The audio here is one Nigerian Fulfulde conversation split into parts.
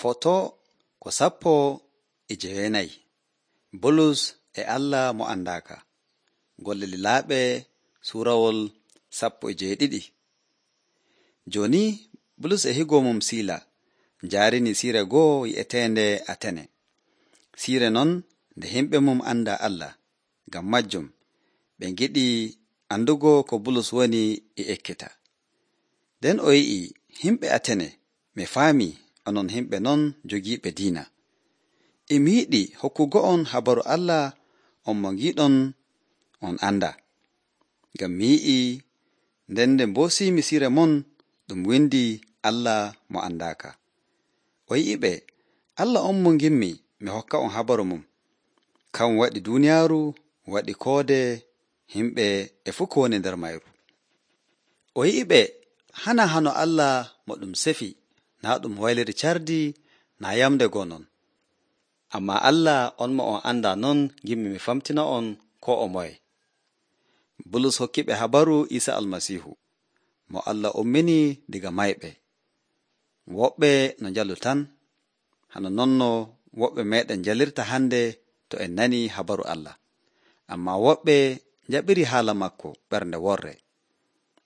Foto ko 14. Bulus e Allah mo andaaka. Golle lilaaɓe suurawol 12. Jooni Bulus e higo mum Siila njaarini siire goo yi'eteende Atene. Siire non nde himɓe mum anda Allah, ngam majjum ɓe ngiɗi andugo ko Bulus woni e ekkita. Nden o yi'i himɓe Atene, mi faamii onon himɓe non jogiiɓe diina. Mi yiɗi hokkugo on habaru Allah on mo ngiɗon on anda. Ngam mi yi'i nden nde mboosiimi siire mon ɗum windi Allah mo andaaka. O yi'iɓe, Allah on mo ngimmi mi hokka on habaru mum. Kan waɗi duuniyaaru, waɗi koode, himɓe e fuu ko woni nder mayru. O yi'iɓe, hana hano Allah mo ɗum sefi, naa ɗum wayliri cardi, naa yamde goo non. Ammaa Allah on mo on anda non ngimmi mi famtina on ko o moye. Bulus hokkiɓe habaru Iisa Almasiihu, mo Allah ummini diga mayɓe. Woɓɓe no njalu tan, hano nonno woɓɓe meeɗen njalirta hande to en nani habaru Allah. Ammaa woɓɓe njaɓiri haala makko ɓernde worre,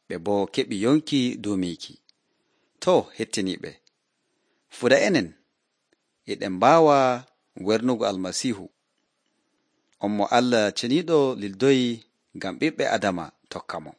ɓe boo keɓi yonki duumiiki. Too, hettiniiɓe, fuɗa enen, eɗen mbaawa wernugo Almasiihu, on mo Allah ceniiɗo lildoyi ngam ɓiɓɓe Adama tokka mo.